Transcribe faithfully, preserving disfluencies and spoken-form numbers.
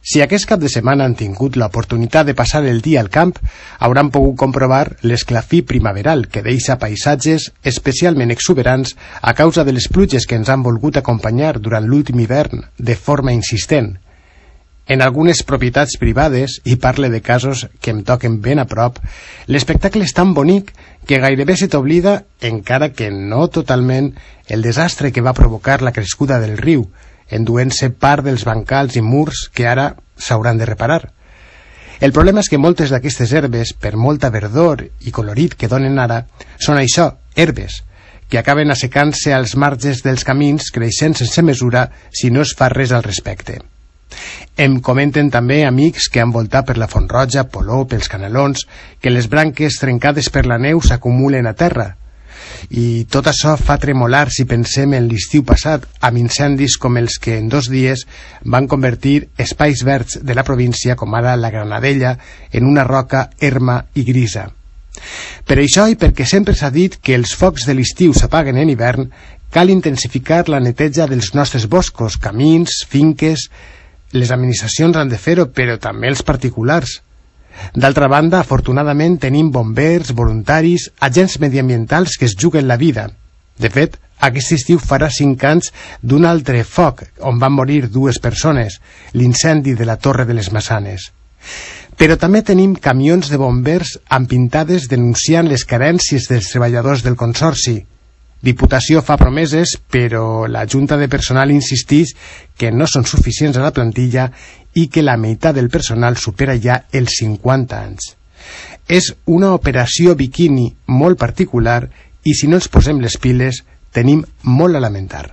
Si aquest cap de setmana han tingut l'oportunitat de passar el dia al camp, hauran pogut comprovar l'esclafí primaveral que deixa paisatges especialment exuberants a causa de les pluges que ens han volgut acompanyar durant l'últim hivern de forma insistent. En algunes propietats privades, i parle de casos que em toquen ben a prop, l'espectacle és tan bonic que gairebé se t'oblida, encara que no totalment, el desastre que va provocar la crescuda del riu, enduent-se part dels bancals i murs que ara s'hauran de reparar. El problema és que moltes d'aquestes herbes, per molta verdor i colorit que donen ara, són això, herbes, que acaben assecant-se als marges dels camins, creixent sense mesura si no es fa res al respecte. Em comenten també amics que han voltat per la Font Roja, Polop, pels Canelons, que les branques trencades per la neu s'acumulen a terra. I tot això fa tremolar si pensem en l'estiu passat, amb incendis com els que en dos dies van convertir espais verds de la província, com ara la Granadella, en una roca erma i grisa. Per això, i perquè sempre s'ha dit que els focs de l'estiu s'apaguen en hivern, cal intensificar la neteja dels nostres boscos, camins, finques. Les administracions han de fer-ho, però també els particulars. D'altra banda, afortunadament tenim bombers, voluntaris, agents mediambientals que es juguen la vida. De fet, aquest estiu farà cinc anys d'un altre foc on van morir dues persones, l'incendi de la Torre de les Maçanes. Però també tenim camions de bombers amb pintades denunciant les carències dels treballadors del Consorci. Diputació fa promeses, però la Junta de Personal insisteix que no són suficients a la plantilla i que la meitat del personal supera ja els cinquanta anys. És una operació biquini molt particular i si no ens posem les piles tenim molt a lamentar.